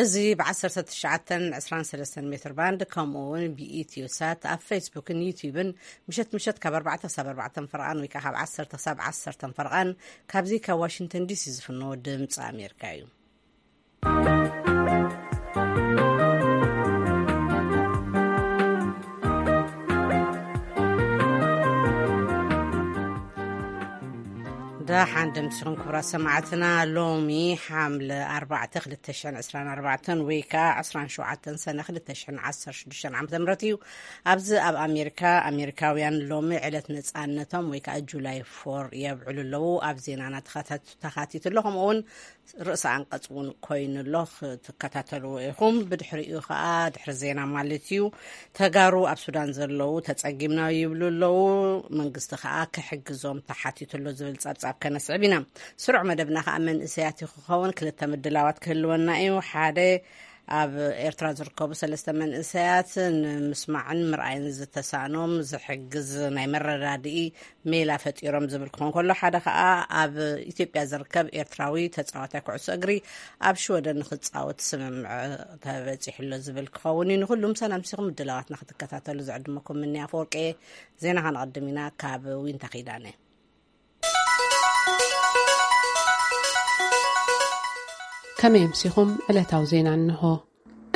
እዚ ብ19 23 ሜትር ባንድ፣ ከምኡ እውን ብኢትዮ ሳት ኣብ ፌስቡክን ዩቲዩብን ምሸት ምሸት ካብ ኣርባዕተ ክሳብ ኣርባዕተ ፈርቓን ወይ ከዓ ካብ ዓሰርተ ክሳብ ዓሰርተ ፈርቓን ካብዚ ካብ ዋሽንግተን ዲሲ ዝፍኖ ድምፂ ኣሜሪካ እዩ። ደሓን ደምሲኹም ክቡራት ሰማዕትና። ሎሚ ሓምለ ኣርባዕተ ክልተ ሽሕን ዕስራን ኣርባዕተን ወይ ከዓ ዕስራን ሸውዓተን ሰነ ክልተ ሽሕን ዓሰርተ ሽዱሽተን ዓመተ ምህረት እዩ። ኣብዚ ኣብ ኣሜሪካ፣ ኣሜሪካውያን ሎሚ ዕለት ነፃነቶም ወይ ከዓ ጁላይ ፎር የብዕሉ ኣለዉ። ኣብ ዜናና ተኻታ-፣ ተኻቲቱ ኣሎ። ከምኡ እውን ርእሰ ኣንቀጽ እውን ኮይኑ ኣሎ፣ ክትከታተልዎ ኢኹም። ብድሕሪኡ ከዓ፣ ድሕሪ ዜና ማለት እዩ፣ ተጋሩ ኣብ ሱዳን ዘለዉ ተጸጊምና ይብሉ ኣለዉ። መንግስቲ ከዓ ክሕግዞም ተሓቲቱ ኣሎ ዝብል ጸብጻብ ከነስዕብ ኢና። ስሩዕ መደብና ከዓ መንእሰያት እዩ ክኸውን። ክልተ ምድላዋት ክህልወና እዩ። ሓደ፣ ኣብ ኤርትራ ዝርከቡ ሰለስተ መንእሰያት ንምስማዕን ምርኣይን ዝተሳእኖም ዝሕግዝ ናይ መረዳድኢ ሜላ ፈጢሮም ዝብል ክኾን ከሎ፣ ሓደ ከዓ ኣብ ኢትዮጵያ ዝርከብ ኤርትራዊ ተጻዋታይ ኩዕሶ እግሪ ኣብ ሽወደን ንክጻወት ስምምዕ ተበጺሑሎ ዝብል ክኸውን እዩ። ንኩሉም ሰላም ሲኹም ምድላዋትና ክትከታተሉ ዝዕድመኩም ምንያ ኣፈወርቂ። ዜና ከነቐድም ኢና ካብ ዊንታ ኪዳነ። ከመይ ኣምሲኹም? ዕለታዊ ዜና እንሆ።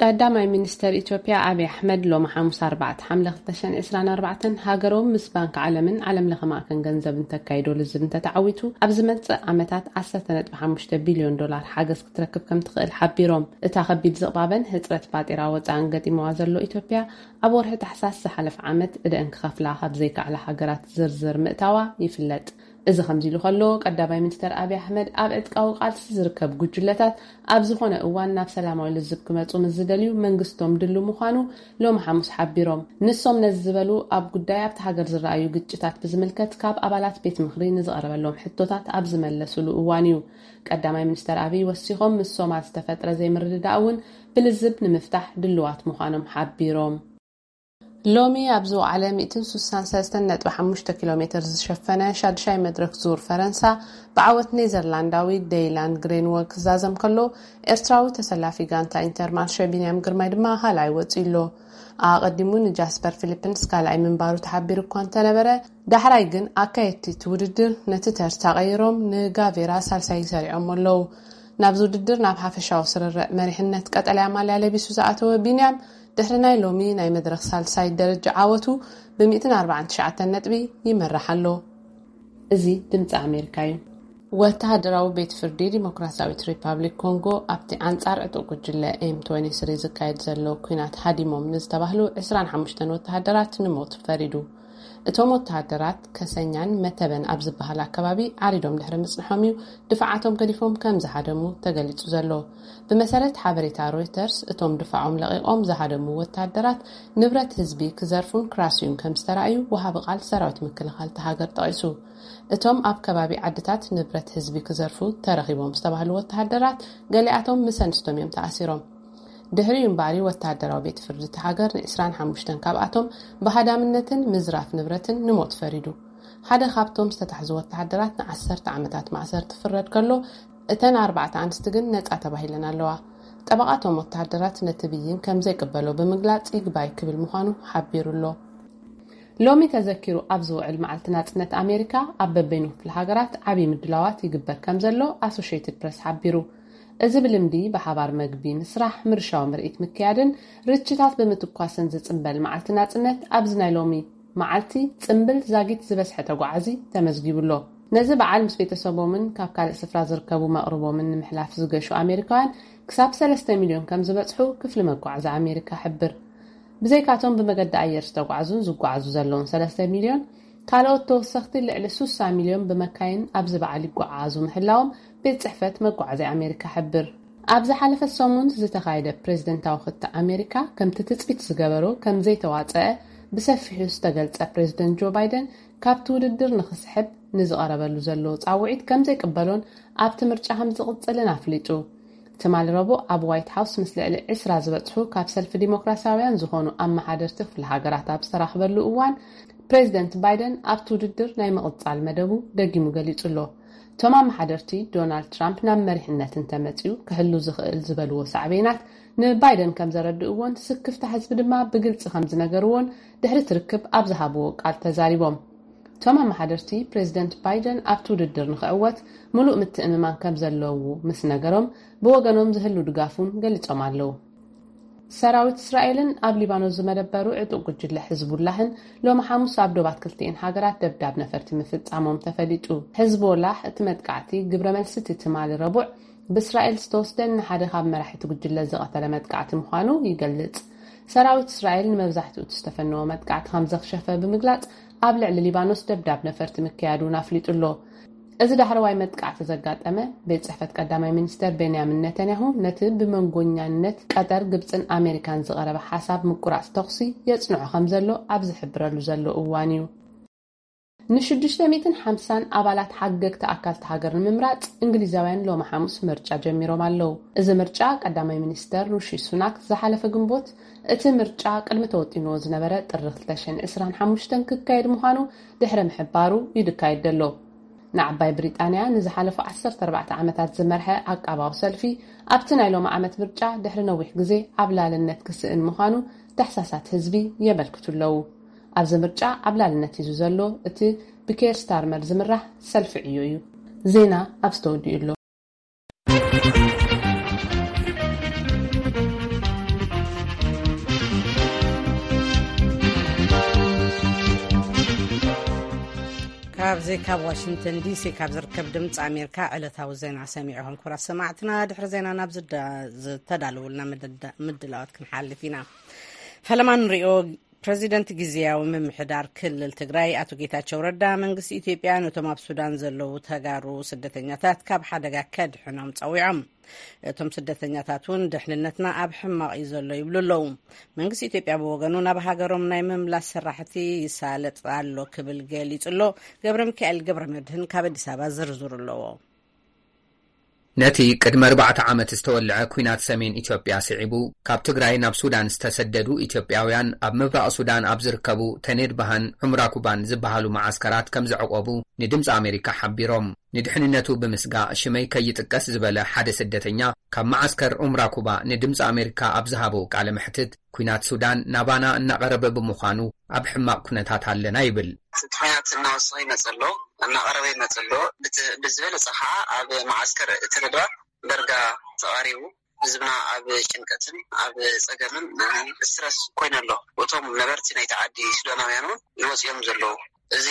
ቀዳማይ ሚኒስተር ኢትዮጵያ ኣብይ ኣሕመድ ሎሚ ሓሙስ ኣርባዕተ ሓምለ ክልተ ሽሕን ዕስራን ኣርባዕተን ሃገሮም ምስ ባንክ ዓለምን ዓለም ለኸ ማእከን ገንዘብን ተካይዶ ልዝብ እንተተዓዊቱ፣ ኣብ ዝመጽእ ዓመታት ዓሰርተ ነጥቢ ሓሙሽተ ቢልዮን ዶላር ሓገዝ ክትረክብ ከም ትኽእል ሓቢሮም። እታ ከቢድ ዝቕባበን ህጽረት ፋጢራ ወጻእን ገጢምዋ ዘሎ ኢትዮጵያ፣ ኣብ ወርሒ ታሕሳስ ዝሓለፈ ዓመት እደን ክኸፍላ ካብ ዘይከኣላ ሃገራት ዝርዝር ምእታዋ ይፍለጥ። እዚ ከምዚ ኢሉ ከሎ፣ ቀዳማይ ሚኒስተር ኣብይ ኣሕመድ፣ ኣብ ዕጥቃዊ ቃልሲ ዝርከብ ጉጅለታት ኣብ ዝኾነ እዋን ናብ ሰላማዊ ልዝብ ክመጹ ምስ ዝደልዩ፣ መንግስቶም ድሉ ምዃኑ ሎሚ ሓሙስ ሓቢሮም። ንሶም ነዚ ዝበሉ፣ ኣብ ጉዳይ ኣብቲ ሃገር ዝረኣዩ ግጭታት ብዝምልከት ካብ ኣባላት ቤት ምኽሪ ንዝቐረበሎም ሕቶታት ኣብ ዝመለሱሉ እዋን እዩ። ቀዳማይ ሚኒስተር ኣብይ ወሲኾም፣ ምስ ሶማል ዝተፈጥረ ዘይምርድዳእ እውን ብልዝብ ንምፍታሕ ድልዋት ምዃኖም ሓቢሮም። ሎሚ ኣብ ዝወዓለ ሚእትን ስሳን ሰለስተን ነጥቢ ሓሙሽተ ኪሎ ሜትር ዝሸፈነ ሻድሻይ መድረክ ዙር ፈረንሳ ብዓወት ኔዘርላንዳዊ ደይላን ግሬንወ ክዛዘም ከሎ፣ ኤርትራዊ ተሰላፊ ጋንታ ኢንተርማርሸ ቢንያም ግርማይ ድማ ካልኣይ ወጺኡ ኣሎ። ኣቐዲሙ ንጃስፐር ፊሊፕንስ ካልኣይ ምንባሩ ተሓቢሩ እኳ እንተነበረ፣ ዳሕራይ ግን ኣካየድቲ እቲ ውድድር ነቲ ተርታ ቀይሮም ንጋቬራ ሳልሳይ ሰሪዖም ኣለዉ። ናብዚ ውድድር ናብ ሓፈሻዊ ስርርዕ መሪሕነት ቀጠልያ ማልያ ለቢሱ ዝኣተወ ቢንያም፣ ድሕሪ ናይ ሎሚ ናይ መድረኽ ሳልሳይ ደረጃ ዓወቱ ብ ሚእትን ኣርባዓን ትሽዓተን ነጥቢ ይመርሕ ኣሎ። እዚ ድምፂ ኣሜሪካ እዩ። ወተሃደራዊ ቤት ፍርዲ ዲሞክራሲያዊት ሪፓብሊክ ኮንጎ ኣብቲ ኣንጻር ዕጡቕ ጉጅለ ኤም ትወንቲ ስሪ ዝካየድ ዘሎ ኲናት ሃዲሞም ንዝተባህሉ ዕስራን ሓሙሽተን ወተሃደራት ንሞት ፈሪዱ። እቶም ወተሃደራት ከሰኛን መተበን ኣብ ዝበሃል ኣከባቢ ዓሪዶም ድሕሪ ምጽንሖም እዩ ድፋዓቶም ገዲፎም ከም ዝሃደሙ ተገሊጹ ዘሎ። ብመሰረት ሓበሬታ ሮይተርስ፣ እቶም ድፋዖም ለቒቖም ዝሃደሙ ወተሃደራት ንብረት ህዝቢ ክዘርፉን ክራስዩን ከም ዝተራእዩ ወሃቢ ቃል ሰራዊት ምክልኻል እታ ሃገር ጠቒሱ። እቶም ኣብ ከባቢ ዓድታት ንብረት ህዝቢ ክዘርፉ ተረኺቦም ዝተባህሉ ወተሃደራት፣ ገሊኣቶም ምስ ኣንስቶም እዮም ተኣሲሮም። ድሕሪኡ እምበኣር፣ ወተሃደራዊ ቤት ፍርዲ እታ ሃገር ን ዕስራን ሓሙሽተን ካብኣቶም ብሃዳምነትን ምዝራፍ ንብረትን ንሞት ፈሪዱ። ሓደ ካብቶም ዝተታሕዙ ወተሃደራት ንዓሰርተ ዓመታት ማእሰርቲ ክፍረድ ከሎ፣ እተን ኣርባዕተ ኣንስቲ ግን ነጻ ተባሂለን ኣለዋ። ጠበቓ እቶም ወተሃደራት ነቲ ብይን ከም ዘይቅበሎ ብምግላጽ፣ ይግባይ ክብል ምዃኑ ሓቢሩ ኣሎ። ሎሚ ተዘኪሩ ኣብ ዝውዕል መዓልቲ ናጽነት ኣሜሪካ፣ ኣብ በበይኑ ክፍለ ሃገራት ዓብዪ ምድላዋት ይግበር ከም ዘሎ ኣሶሽየትድ ፕረስ ሓቢሩ። እዚ ብልምዲ ብሓባር መግቢ ምስራሕ፣ ምርሻዊ ምርኢት ምክያድን ርችታት ብምትኳስን ዝጽንበል መዓልቲ ናጽነት፣ ኣብዚ ናይ ሎሚ መዓልቲ ጽምብል ዛጊት ዝበዝሐ ተጓዓዚ ተመዝጊቡ ኣሎ። ነዚ በዓል ምስ ቤተሰቦምን ካብ ካልእ ስፍራ ዝርከቡ መቕርቦምን ንምሕላፍ ዝገሹ ኣሜሪካውያን ክሳብ ሰለስተ ሚልዮን ከም ዝበጽሑ ክፍሊ መጓዓዚ ኣሜሪካ ሕብር። ብዘይካቶም ብመገዲ ኣየር ዝተጓዕዙን ዝጓዓዙ ዘለውን ሰለስተ ሚልዮን፣ ካልኦት ተወሰኽቲ ልዕሊ ስሳ ሚልዮን ብመካይን ኣብዚ በዓል ይጓዓዙ ምህላዎም ቤት ጽሕፈት መጓዓዝያ ኣሜሪካ ሕብር። ኣብ ዝሓለፈ ሰሙን ዝተኻየደ ፕሬዝደንታዊ ክትዕ ኣሜሪካ፣ ከምቲ ትጽቢት ዝገበሮ ከም ዘይተዋጸአ ብሰፊሑ ዝተገልጸ ፕሬዝደንት ጆ ባይደን፣ ካብቲ ውድድር ንኽስሕብ ንዝቐረበሉ ዘሎ ጻውዒት ከም ዘይቅበሎን ኣብቲ ምርጫ ከም ዝቕጽልን ኣፍሊጡ። ትማሊ ረቡዕ ኣብ ዋይት ሃውስ ምስ ልዕሊ ዕስራ ዝበጽሑ ካብ ሰልፊ ዲሞክራሲያውያን ዝኾኑ ኣመሓደርቲ ክፍለ ሃገራት ኣብ ዝተራኽበሉ እዋን፣ ፕሬዝደንት ባይደን ኣብቲ ውድድር ናይ ምቕጻል መደቡ ደጊሙ ገሊጹ ኣሎ። እቶም ኣመሓደርቲ፣ ዶናልድ ትራምፕ ናብ መሪሕነት እንተመጺኡ ክህሉ ዝኽእል ዝበልዎ ሳዕቤናት ንባይደን ከም ዘረድእዎን ስክፍታ ህዝቢ ድማ ብግልጺ ከም ዝነገርዎን ድሕሪቲ ርክብ ኣብ ዝሃብዎ ቃል ተዛሪቦም። እቶም ኣመሓደርቲ፣ ፕሬዚደንት ባይደን ኣብቲ ውድድር ንኽዕወት ምሉእ ምትእምማን ከም ዘለዉ ምስ ነገሮም፣ ብወገኖም ዝህሉ ድጋፍ እውን ገሊጾም ኣለዉ። ሰራዊት እስራኤልን ኣብ ሊባኖስ ዝመደበሩ ዕጡቕ ጉጅለ ሕዝቡላህን ሎሚ ሓሙስ ኣብ ዶባት ክልቲኤን ሃገራት ደብዳብ ነፈርቲ ምፍጻሞም ተፈሊጡ። ሕዝቦላህ እቲ መጥቃዕቲ ግብረ መልሲ እቲ ትማሊ ረቡዕ ብእስራኤል ዝተወስደን ንሓደ ካብ መራሕቲ ጉጅለ ዝቐተለ መጥቃዕቲ ምዃኑ ይገልጽ። ሰራዊት እስራኤል ንመብዛሕትኡ እቲ ዝተፈነወ መጥቃዕቲ ከም ዘኽሸፈ ብምግላጽ፣ ኣብ ልዕሊ ሊባኖስ ደብዳብ ነፈርቲ ምክያዱ እውን ኣፍሊጡ ኣሎ። እዚ ዳሕረዋይ መጥቃዕቲ ዘጋጠመ፣ ቤት ጽሕፈት ቀዳማይ ሚኒስተር ቤንያሚን ነተንያሁ ነቲ ብመንጎኛነት ቀጠር፣ ግብጽን ኣሜሪካን ዝቐረበ ሓሳብ ምቁራጽ ተኹሲ የጽንዖ ከም ዘሎ ኣብ ዝሕብረሉ ዘሎ እዋን እዩ። ንሽዱሽተ ሚእትን ሓምሳን ኣባላት ሓገግቲ ኣካልቲ ሃገር ንምምራጽ እንግሊዛውያን ሎሚ ሓሙስ ምርጫ ጀሚሮም ኣለዉ። እዚ ምርጫ ቀዳማይ ሚኒስተር ሩሺ ሱናክ ዝሓለፈ ግንቦት፣ እቲ ምርጫ ቅድሚ ተወጢንዎ ዝነበረ ጥሪ ክልተ ሽሕን ዕስራን ሓሙሽተን ክካየድ ምዃኑ ድሕሪ ምሕባሩ እዩ ዝካየድ ዘሎ። ንዓባይ ብሪጣንያ ንዝሓለፉ ዓሰርተ ኣርባዕተ ዓመታት ዝመርሐ ዓቃባዊ ሰልፊ ኣብቲ ናይ ሎሚ ዓመት ምርጫ ድሕሪ ነዊሕ ግዜ ዓብላልነት ክስእን ምዃኑ ዳህሳሳት ህዝቢ የመልክቱ ኣለዉ። ኣብዚ ምርጫ ዓብላልነት ሒዙ ዘሎ እቲ ብኬር ስታርመር ዝምራሕ ሰልፊ ዕዮ እዩ። ዜና ኣብዚ ተወዲኡ ኣሎ። ካብዚ ካብ ዋሽንግተን ዲሲ ካብ ዝርከብ ድምፂ ኣሜሪካ ዕለታዊ ዜና ሰሚዕኹም። ክቡራት ሰማዕትና፣ ድሕሪ ዜና ናብ ዝዳ- ዝተዳለወልና ምድዳ- ምድላዋት ክንሓልፍ ኢና። ፈለማ ንሪኦ። ፕረዚደንት ግዝያዊ ምምሕዳር ክልል ትግራይ ኣቶ ጌታቸው ረዳ፣ መንግስቲ ኢትዮጵያ ነቶም ኣብ ሱዳን ዘለዉ ተጋሩ ስደተኛታት ካብ ሓደጋ ከድሕኖም ጸዊዖም። እቶም ስደተኛታት እውን ድሕንነትና ኣብ ሕማቕ እዩ ዘሎ ይብሉ ኣለዉ። መንግስቲ ኢትዮጵያ ብወገኑ፣ ናብ ሃገሮም ናይ ምምላስ ስራሕቲ ይሳለጥ ኣሎ ክብል ገሊጹ ኣሎ። ገብረ ሚካኤል ገብረ መድህን ካብ ኣዲስ ኣበባ ዝርዝሩ ኣለዎ። ነቲ ቅድሚ ኣርባዕተ ዓመት ዝተወልዐ ኲናት ሰሜን ኢትዮጵያ ስዒቡ፣ ካብ ትግራይ ናብ ሱዳን ዝተሰደዱ ኢትዮጵያውያን፣ ኣብ ምብራቕ ሱዳን ኣብ ዝርከቡ ተኔድባህን ዑምራኩባን ዝበሃሉ መዓስከራት ከም ዘዕቆቡ ንድምፂ ኣሜሪካ ሓቢሮም። ንድሕንነቱ ብምስጋእ ሽመይ ከይጥቀስ ዝበለ ሓደ ስደተኛ ካብ መዓስከር ዑምራኩባ ንድምፂ ኣሜሪካ ኣብ ዝሃቦ ቃለ መሕትት፣ ኲናት ሱዳን ናባና እናቐረበ ብምዃኑ ኣብ ሕማቕ ኩነታት ኣለና ይብል። እቲ ኲናት እናወሰኸ ይመጽእ ኣሎ፣ እናቐረበ ይመጽእ ኣሎ። ብት- ብዝበለጸ ኸዓ ኣብ መዓስከር እቲ ነድባ በርጋ ተቓሪቡ፣ ህዝብና ኣብ ጭንቀትን ኣብ ጸገምን ስትረስ ኮይኑ ኣሎ። እቶም ነበርቲ ናይቲ ዓዲ ሱዳናውያን እውን ይወጽኦም ዘለዉ። እዚ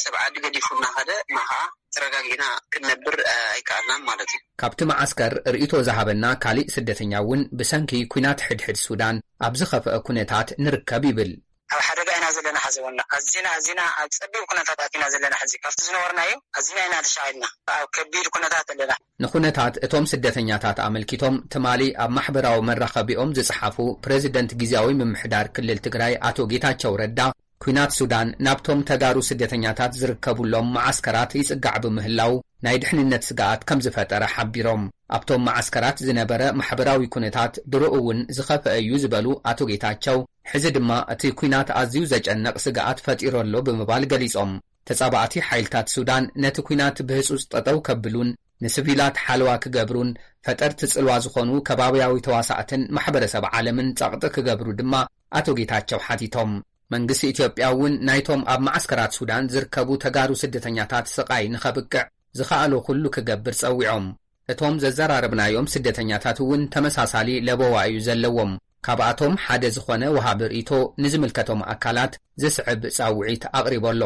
ሰብ ዓዲ ገዲፉ እናኸደ እና ኸዓ ተረጋጊእና ክንነብር ኣይከኣልናን ማለት እዩ። ካብቲ መዓስከር ርእይቶ ዝሃበና ካሊእ ስደተኛ እውን፣ ብሰንኪ ኲናት ሕድሕድ ሱዳን ኣብ ዝኸፍአ ኩነታት ንርከብ ይብል። ኣብ ሓደጋ ኢና ዘለና ሕዚ እውን። ኣዚና ኣዚና ኣብ ጸቢብ ኩነታት ኣቲና ዘለና ሕዚ። ካብቲ ዝነበርናዮ ኣዚና ኢና ተሻቒልና። ኣብ ከቢድ ኩነታት ኣለና። ንኩነታት እቶም ስደተኛታት ኣመልኪቶም፣ ትማሊ ኣብ ማሕበራዊ መራኸቢኦም ዝጸሓፉ፣ ፕረዚደንት ግዝያዊ ምምሕዳር ክልል ትግራይ ኣቶ ጌታቸው ረዳ፣ ኲናት ሱዳን ናብቶም ተጋሩ ስደተኛታት ዝርከቡሎም መዓስከራት ይጽጋዕ ብምህላው፣ ናይ ድሕንነት ስግኣት ከም ዝፈጠረ ሓቢሮም። ኣብቶም መዓስከራት ዝነበረ ማሕበራዊ ኩነታት ድሮኡ እውን ዝኸፍአ እዩ ዝበሉ ኣቶ ጌታቸው፣ ሕዚ ድማ እቲ ኲናት ኣዝዩ ዘጨንቕ ስግኣት ፈጢሩ ኣሎ ብምባል ገሊጾም። ተጻባእቲ ሓይልታት ሱዳን ነቲ ኲናት ብህጹጽ ጠጠው ከብሉን ንስቪላት ሓለዋ ክገብሩን ፈጠርቲ ጽልዋ ዝኾኑ ከባብያዊ ተዋሳእትን ማሕበረሰብ ዓለምን ጸቕጢ ክገብሩ ድማ ኣቶ ጌታቸው ሓቲቶም። መንግስቲ ኢትዮጵያ እውን ናይቶም ኣብ መዓስከራት ሱዳን ዝርከቡ ተጋሩ ስደተኛታት ስቓይ ንኸብቅዕ ዝኸኣሎ ኩሉ ክገብር ጸዊዖም። እቶም ዘዘራረብናዮም ስደተኛታት እውን ተመሳሳሊ ለበዋ እዩ ዘለዎም። ካብኣቶም ሓደ ዝኾነ ወሃቢ ርእይቶ ንዝምልከቶም ኣካላት ዝስዕብ ጻውዒት ኣቕሪቦ ኣሎ።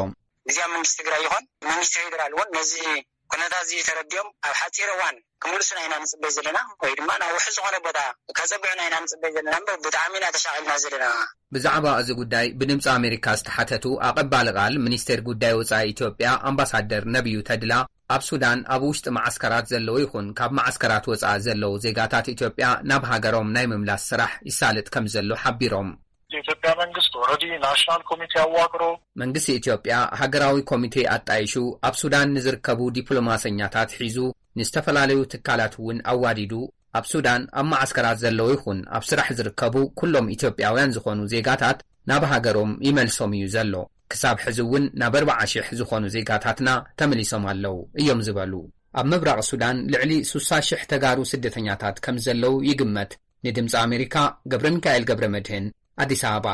ግዝያዊ መንግስቲ ትግራይ ይኹን መንግስቲ ፌዴራል እውን ነዚ ኩነታት እዚ ተረዲኦም ኣብ ሓፂር እዋን ክምልሱና ኢና ንፅበይ ዘለና፣ ወይ ድማ ናብ ውሕስ ዝኾነ ቦታ ከፀግዑና ኢና ንፅበይ ዘለና እምበር ብጣዕሚ ኢና ተሻቒልና ዘለና። ብዛዕባ እዚ ጉዳይ ብድምፂ ኣሜሪካ ዝተሓተቱ ኣቐባሊ ቃል ሚኒስቴር ጉዳይ ወፃኢ ኢትዮጵያ ኣምባሳደር ነቢዩ ተድላ፣ ኣብ ሱዳን ኣብ ውሽጢ መዓስከራት ዘለዉ ይኹን ካብ መዓስከራት ወፃኢ ዘለዉ ዜጋታት ኢትዮጵያ ናብ ሃገሮም ናይ ምምላስ ስራሕ ይሳለጥ ከም ዘሎ ሓቢሮም። የኢትዮጵያ መንግስት ኦልሬዲ ናሽናል ኮሚቴ ኣዋቅሮ። መንግስቲ ኢትዮጵያ ሃገራዊ ኮሚቴ ኣጣይሹ፣ ኣብ ሱዳን ንዝርከቡ ዲፕሎማሰኛታት ሒዙ፣ ንዝተፈላለዩ ትካላት እውን ኣዋዲዱ፣ ኣብ ሱዳን ኣብ መዓስከራት ዘለዉ ይኹን ኣብ ስራሕ ዝርከቡ ኩሎም ኢትዮጵያውያን ዝኾኑ ዜጋታት ናብ ሃገሮም ይመልሶም እዩ ዘሎ። ክሳብ ሕዚ እውን ናብ ኣርባዓ ሽሕ ዝኾኑ ዜጋታትና ተመሊሶም ኣለዉ እዮም ዝበሉ። ኣብ ምብራቕ ሱዳን ልዕሊ ስሳ ሽሕ ተጋሩ ስደተኛታት ከም ዘለዉ ይግመት። ንድምፂ ኣሜሪካ ገብረ ሚካኤል ገብረ መድህን፣ ኣዲስ ኣበባ።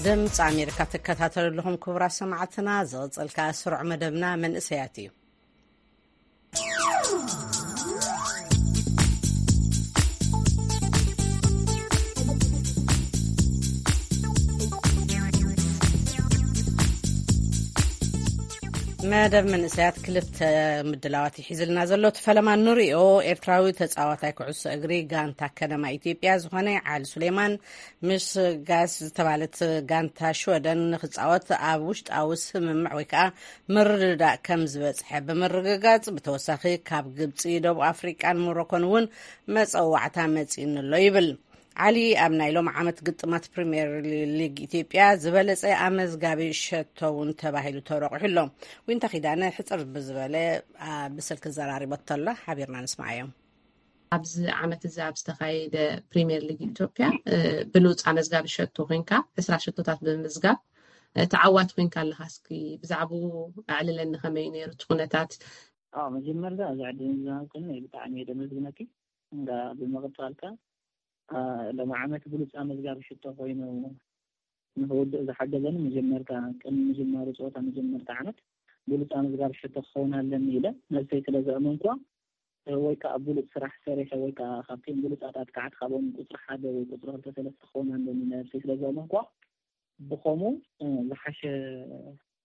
ድምፂ ኣሜሪካ ትከታተሉ ኣለኹም ክቡራት ሰማዕትና። ዝቕፅል ከዓ ስሩዕ መደብና መንእሰያት እዩ። መደብ መንእሰያት ክልተ ምድላዋት ይሒዝልና ዘሎ። እቲ ፈለማ ንሪኦ። ኤርትራዊ ተጻዋታይ ኩዕሶ እግሪ ጋንታ ከነማ ኢትዮጵያ ዝኾነ ዓሊ ሱሌማን ምስ ጋስ ዝተባለት ጋንታ ሽወደን ንክጻወት ኣብ ውሽጣዊ ስምምዕ ወይ ከዓ ምርድዳእ ከም ዝበጽሐ ብምርግጋጽ፣ ብተወሳኺ ካብ ግብጺ፣ ደቡብ ኣፍሪቃን ሞሮኮን እውን መጸዋዕታ መጺእኒ ኣሎ ይብል። ዓሊ ኣብ ናይ ሎም ዓመት ግጥማት ፕሪምየር ሊግ ኢትዮጵያ ዝበለጸ ኣመዝጋቢ ሸቶ እውን ተባሂሉ ተረቑሑ ኣሎ። ዊንታ ኪዳነ ሕጽር ብዝበለ፣ አ፣ ብስልኪ ዘራሪቦቶ ኣሎ። ሓቢርና ንስማዓዮ። ኣብዚ ዓመት እዚ ኣብ ዝተኻየደ ፕሪምየር ሊግ ኢትዮጵያ፣ እ፣ ብሉጽ ኣመዝጋቢ ሸቶ ኮይንካ፣ ዕስራ ሸቶታት ብምምዝጋብ፣ እ፣ ተዓዋቲ ኮይንካ ኣለኻ። እስኪ ብዛዕባኡ ኣዕልለኒ፣ ከመይ ነይሩ እቲ ኩነታት? ኣዎ፣ መጀመርታ እዚ ዕድል ዝሃብክኒ ብጣዕሚ እየ ደመስግነኪ። እንዳ ብምቕጻልካ፣ አ፣ ሎም ዓመት ብሉጽ ኣመዝጋቢ ሽቶ ኮይኑ ንኽውድእ ዝሓገዘኒ፣ መጀመርታ ቅድሚ ምጅማሩ ጸወታ መጀመርታ ዓመት ብሉጽ ኣመዝጋቢ ሽቶ ክኸውን ኣለኒ ኢለ ነብሰይ ስለ ዘእመንኩዋ፣ ወይ ከኣ ብሉጽ ስራሕ ሰሪሐ፣ ወይ ከኣ ካብቶም ብሉጻት ኣጥቃዕቲ፣ ካብኦም ቁጽሪ ሓደ ወይ ቁጽሪ ክልተ ሰለስተ ክኸውን ኣለኒ ኢለ ነብሰይ ስለ ዘእመንኩዋ፣ ብኸምኡ፣ እ፣ ዝሓሸ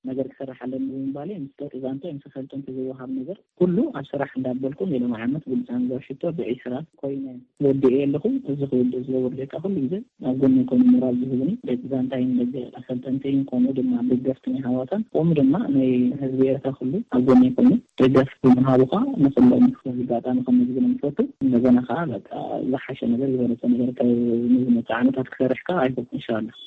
ነገር ክሰርሕ ኣለኒ ብምባለይ፣ ምስ ደቂ ዛንታ ምስ ኣሰልጠንቲ ዝወሃብ ነገር ኩሉ ኣብ ስራሕ እንዳበልኩ፣ ሜዳ መዓመት ብሉጽ ኣመዝጋቢ ሽቶ ብዒስራ ኮይነ ወዲኤ ኣለኹ። እዚ ክውድእ ዝገብር ደቂ ኩሉ ግዜ ኣብ ጎነይ ኮይኑ ሞራል ዝህቡኒ ደቂ ዛንታይን ደቂ ኣሰልጠንተይን፣ ከምኡ ድማ ደገፍትን ኣሕዋታን፣ ከምኡ ድማ ናይ ህዝቢ ኤርትራ ኩሉ ኣብ ጎነይ ኮይኑ ደገፍ ብምሃቡ ከዓ ንኩሎም እዚ ኣጋጣሚ ከመስግኖም ይፈቱ። እንደገና ከዓ በቃ ዝሓሸ ነገር፣ ዝበለጸ ነገር ካብ ንዝመጽእ ዓመታት ክሰርሕ ከዓ ኣይፈቱ፣ ኢንሻላህ።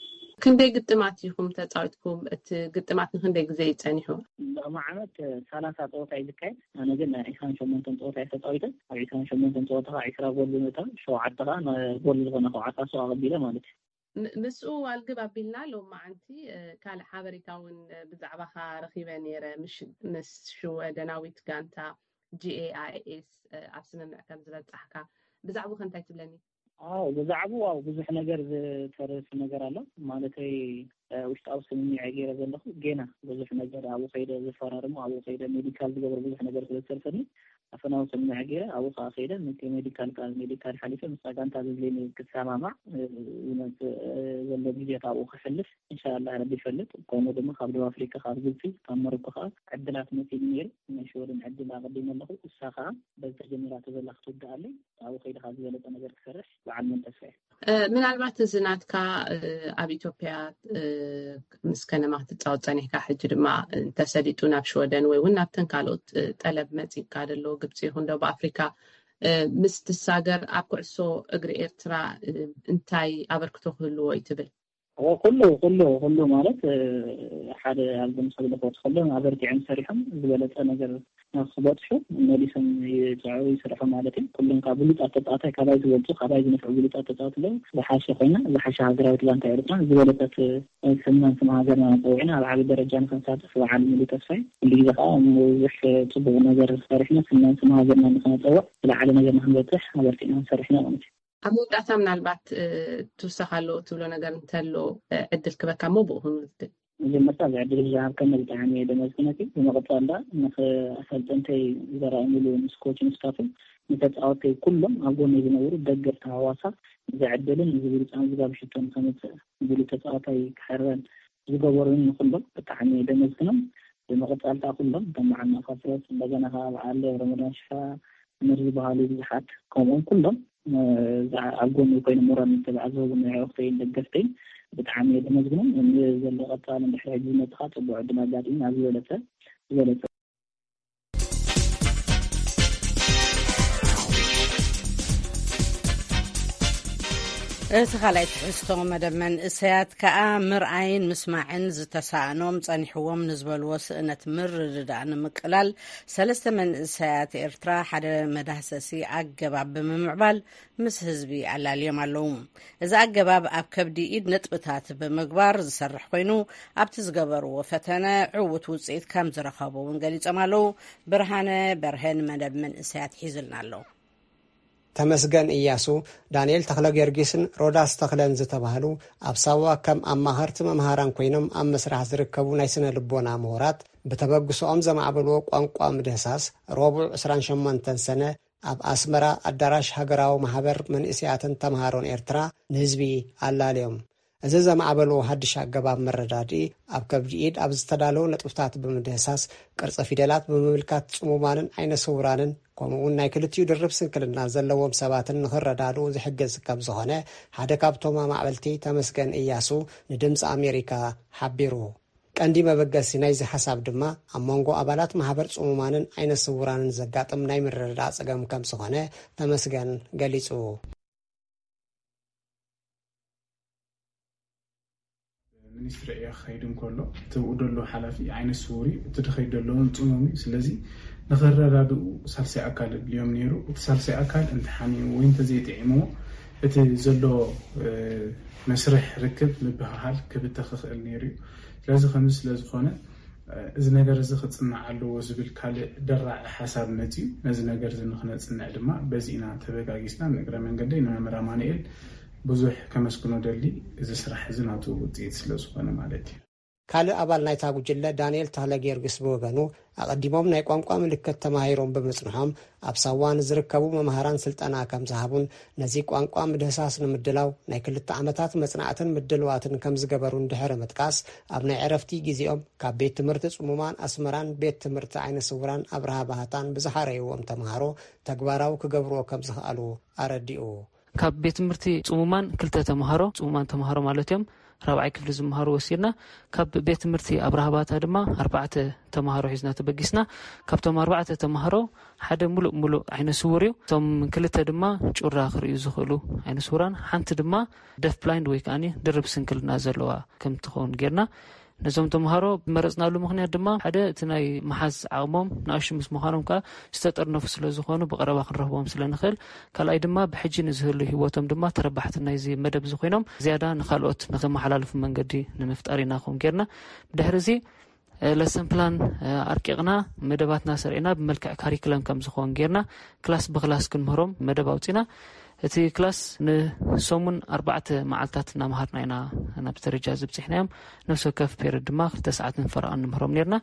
ክንደይ ግጥማት ኢኹም ተጻዊትኩም? እቲ ግጥማት ንክንደይ ግዜ እዩ ጸኒሑ? ሎሚ ዓመት ሰላሳ ጸወታ እዩ ዝካየድ። ኣነ ግን ናይ ዒስራን ሸሞንተን ጸወታ እየ ተጻዊተ። ኣብ ዒስራን ሸሞንተን ጸወታ ከዓ ዒስራ ጎል ብምእታው፣ ሸውዓተ ከዓ ጎል ዝኾነ ከውዓት ኣስተዋቕቢለ ማለት እዩ። ም-፣ ምስኡ ዋልግብ ኣቢልና ሎም መዓንቲ፣ እ፣ ካልእ ሓበሬታ እውን፣ እ፣ ብዛዕባኻ ረኺበ ነይረ። ምሽ-፣ ምስ ሽወደናዊት ጋንታ ጂ ኤ ኣይ ኤስ፣ እ፣ ኣብ ስምምዕ ከም ዝበጻሕካ፣ ብዛዕባኡ ከ እንታይ ትብለኒ? ኣዎ፣ ብዛዕባኡ፣ ኣዎ፣ ብዙሕ ነገር ዝተርፍ ነገር ኣሎ። ማለተይ፣ እ፣ ውሽጣዊ ስምምዕ እየ ገይረ ዘለኹ። ጌና ብዙሕ ነገር ኣብኡ ከይደ ዝፈራርሙ፣ ኣብኡ ከይደ ሜዲካል ዝገብሮ ብዙሕ ነገር ስለ ዝተርፈኒ፣ ኣፈናዊ ስምምዕ ገይረ ኣብኡ ከኣ ከይደ፣ ነቲ ሜዲካል፣ ካብ ሜዲካል ሓሊፈ ምስታ ጋንታ ዘድልየኒ ክሰማማዕ፣ እ፣ ዝመጽእ፣ እ፣ ዘሎ ግዜያት ኣብኡ ከሕልፍ፣ ኢንሻላህ፣ ረቢ ይፈልጥ። ከምኡ ድማ ካብ ደቡብ ኣፍሪቃ፣ ካብ ግብጺ፣ ካብ ሞሮኮ ከኣ ዕድላት መጺእኒ ነይሩ። ናይ ሽወደን ዕድል ኣቐዲመ ኣለኹ። እሳ ከኣ በዚ ተጀሚራቶ ዘላ ክትውድኣለይ፣ ኣብኡ ከይደ ከኣ ዝበለጸ ነገር ክሰርሕ በዓል ሙሉ ተስፋ እየ። እ፣ ምናልባት እዚ ናትካ፣ እ፣ ኣብ ኢትዮጵያ፣ እ፣ ምስ ከነማ ክትጻወት ጸኒሕካ፣ ሕጂ ድማ እንተሰሊጡ ናብ ሽወደን ወይ እውን ናብተን ካልኦት፣ እ፣ ጠለብ መጺእካ ዘሎ ግብጺ ይኹን ደቡብ ኣፍሪካ፣ እ፣ ምስ ትሳገር ኣብ ኩዕሶ እግሪ ኤርትራ፣ እ፣ እንታይ ኣበርክቶ ክህልዎ እዩ ትብል? ኦ፣ ኩሉ፣ ኩሉ፣ ኩሉ ማለት፣ እ፣ ሓደ ኣብ ጎኒ ሰብ ለፈወት ኩሎም ኣበርቲዖም ሰሪሖም ዝበለጸ ነገር ክበጽሑ መሊሶም ይጽዕሩ ይስርሑ ማለት እዩ። ኩሎም ካብ ብሉጻት ተጻዋታይ ካባይ ዝበልጹ፣ ካባይ ዝነፍዑ ብሉጻት ተጻወት ኣለዉ። ዝሓሸ ኮይና፣ ዝሓሸ ሃገራዊት ጋንታ ኤርትራ፣ ዝበለጸት ስምናን ስም ሃገርና ጸዊዕና ኣብ ዓቢ ደረጃ ንኽንሳተፍ በዓል ሙሉ ተስፋይ። ኩሉ ግዜ ከኣ ብዙሕ ጽቡቕ ነገር ሰሪሕና ስምናን ስም ሃገርና ንኽነጸውዕ ዝለዓለ ነገር ንኽንበጽሕ ኣበርቲዕና ሰሪሕና ማለት እዩ። ኣብ መወዳእታ ምናልባት፣ እ፣ ትውሰኽ ኣሎ ትብሎ ነገር እንተሎ፣ እ፣ ዕድል ክበካ እሞ ብኡ ክንውድእ። መጀመርታ እዚ ዕድል ዝሃብከኒ ብጣዕሚ እየ ደመስግነኪ። ብምቕጻል ደኣ ንኸ-፣ ኣሰልጠንተይ ዘራእሙሉ ምስ ኮችን ስታፍን ንተጻወተይ ኩሎም ኣብ ጎነይ ዝነበሩ ደገፍቲ ሃዋሳ እዚ ዕድልን እዚ ብሉጽ ኣመዝጋቢ ሽቶን ከምጽእ ዝብሉ ተጻዋታይ ክሕረን ዝገበሩን ንኹሎም ብጣዕሚ እየ ደመስግኖም። ብምቕጻል ከኣ ኩሎም ከም በዓል ማእካ ፍረስ፣ እንደገና ከኣ በዓል ረመዳን ሽፋ፣ እነር ዝበሃሉ ብዙሓት ከምኦም ኩሎም፣ እ፣ ዝዓ-፣ ኣብ ጎኒ ኮይኖም ሞራል ምትብባዕ ዝህቡኒ ኣዕሩኽተይን ደገፍተይን ብጣዕሚ እየ ደመስግኖም። ዘሎ ቀጻሊ እንድሕር ሕጂ ዝመጽእ ከኣ ጽቡቕ ዕድል ኣጋጢሙ ኣብ ዝበለጸ፣ ዝበለጸ። እቲ ካልኣይ ትሕዝቶ መደብ መንእሰያት ከኣ ምርኣይን ምስማዕን ዝተሳእኖም ጸኒሕዎም ንዝበልዎ ስእነት ምርድዳእ ንምቅላል ሰለስተ መንእሰያት ኤርትራ ሓደ መዳህሰሲ ኣገባብ ብምምዕባል ምስ ህዝቢ ኣላልዮም ኣለዉ። እዚ ኣገባብ ኣብ ከብዲ ኢድ ነጥብታት ብምግባር ዝሰርሕ ኮይኑ ኣብቲ ዝገበርዎ ፈተነ ዕዉት ውጽኢት ከም ዝረኸቡ እውን ገሊጾም ኣለዉ። ብርሃነ በርሀን መደብ መንእሰያት ሒዝልና ኣሎ። ተመስገን እያሱ፣ ዳንኤል ተኽለ ጊዮርጊስን ሮዳስ ተኽለን ዝተባህሉ ኣብ ሳዋ ከም ኣማኸርቲ መምሃራን ኮይኖም ኣብ መስራሕ ዝርከቡ ናይ ስነ ልቦና ምሁራት ብተበግሶኦም ዘማዕበልዎ ቋንቋ ምድህሳስ ረቡዕ ዕስራን ሸሞንተን ሰነ ኣብ ኣስመራ ኣዳራሽ ሃገራዊ ማሕበር መንእሰያትን ተምሃሮን ኤርትራ ንህዝቢ ኣላልዮም። እዚ ዘማዕበልዎ ሓድሽ ኣገባብ መረዳድኢ ኣብ ከብዲ ኢድ ኣብ ዝተዳለዉ ነጥብታት ብምድህሳስ ቅርጺ ፊደላት ብምምልካት ጽሙማንን ዓይነ ስውራንን ከምኡውን ናይ ክልቲኡ ድርብ ስንክልና ዘለዎም ሰባትን ንኽረዳድኡ ዝሕግዝ ከም ዝኾነ ሓደ ካብቶም ኣማዕበልቲ ተመስገን እያሱ ንድምፂ ኣሜሪካ ሓቢሩ። ቀንዲ መበገሲ ናይዚ ሓሳብ ድማ ኣብ መንጎ ኣባላት ማሕበር ጽሙማንን ዓይነ ስውራንን ዘጋጥም ናይ ምርድዳእ ጸገም ከም ዝኾነ ተመስገን ገሊጹ። ሚኒስትሪ ዕዮ ክኸይድ እንከሎ እቲ ብኡ ዘሎ ሓላፊ ዓይነ ስውር እዩ፣ እቲ ድኸይድ ዘሎ እውን ጽሙም እዩ። ስለዚ ንኸረዳድኡ ሳልሳይ ኣካል እድልዮም ነይሩ። እቲ ሳልሳይ ኣካል እንተሓሚሙ ወይ እንተዘይጥዒምዎ እቲ ዘሎ መስርሕ ርክብ ምብህሃል ክብተኽ ይኽእል ነይሩ እዩ። ስለዚ ከምዚ ስለ ዝኾነ እዚ ነገር እዚ ክጽናዕ ኣለዎ ዝብል ካልእ ደራዒ ሓሳብ መጺኡ። ነዚ ነገር እዚ ንክነጽንዕ ድማ በዚ ኢና ተበጋጊስና። ንእግረ መንገደይ ንመምህር ኣማኑኤል ብዙሕ ከመስግኖ ደሊ፣ እዚ ስራሕ እዚ ናቱ ውፅኢት ስለ ዝኾነ ማለት እዩ። ካልእ ኣባል ናይታ ጉጅለ ዳንኤል ተኽለ ጊዮርጊስ ብወገኑ ኣቐዲሞም ናይ ቋንቋ ምልክት ተማሂሮም ብምጽንሖም ኣብ ሳዋ ንዝርከቡ መምሃራን ስልጠና ከም ዝሃቡን ነዚ ቋንቋ ምድህሳስ ንምድላው ናይ ክልተ ዓመታት መጽናዕትን ምድልዋትን ከም ዝገበሩን ድሕሪ ምጥቃስ ኣብ ናይ ዕረፍቲ ግዜኦም ካብ ቤት ትምህርቲ ጽሙማን ኣስመራን ቤት ትምህርቲ ዓይነ ስውራን ኣብርሃ ባህታን ብዝሓረይዎም ተምሃሮ ተግባራዊ ክገብርዎ ከም ዝኽኣሉ ኣረዲኡ። ካብ ቤት ትምህርቲ ጽሙማን ክልተ ተምሃሮ፣ ጽሙማን ተምሃሮ ማለት እዮም፣ ራብዓይ ክፍሊ ዝምሃሩ ወሲድና። ካብ ቤት ትምህርቲ ኣብርሃ ባታ ድማ ኣርባዕተ ተምሃሮ ሒዝና ተበጊስና። ካብቶም ኣርባዕተ ተምሃሮ ሓደ ሙሉእ ሙሉእ ዓይነ ስውር እዩ። እቶም ክልተ ድማ ጩራ ክርእዩ ዝኽእሉ ዓይነ ስውራን፣ ሓንቲ ድማ ደፍ ብላይንድ ወይ ከዓኒ ድርብ ስንክልና ዘለዋ ከም ትኸውን ጌርና። ነዞም ተምሃሮ ዝመረጽናሉ ምኽንያት ድማ ሓደ እቲ ናይ ምሓዝ ዓቕሞም ንኣሽቱ ምስ ምዃኖም ከኣ ዝተጠርነፉ ስለ ዝኾኑ ብቐረባ ክንረኽቦም ስለ ንኽእል፣ ካልኣይ ድማ ብሕጂ ንዝህሉ ህይወቶም ድማ ተረባሕቲ ናይዚ መደብ እዚ ኮይኖም ዝያዳ ንኻልኦት ንክተመሓላልፉ መንገዲ ንምፍጣር ኢና ከምኡ ጌርና። ብድሕሪ እዚ ለሰን ፕላን ኣርቂቕና መደባትና ሰሪዕና ብመልክዕ ካሪክለም ከም ዝኸውን ጌርና ክላስ ብክላስ ክንምህሮም መደብ ኣውፂና። እቲ ክላስ ንሰሙን ኣርባዕተ መዓልታት እናምሃርና ኢና ናብቲ ደረጃ እዚ ብፂሕናዮም። ነፍሲ ወከፍ ፔርድ ድማ ክልተ ሰዓትን ፈረቓን ንምህሮም ኔርና።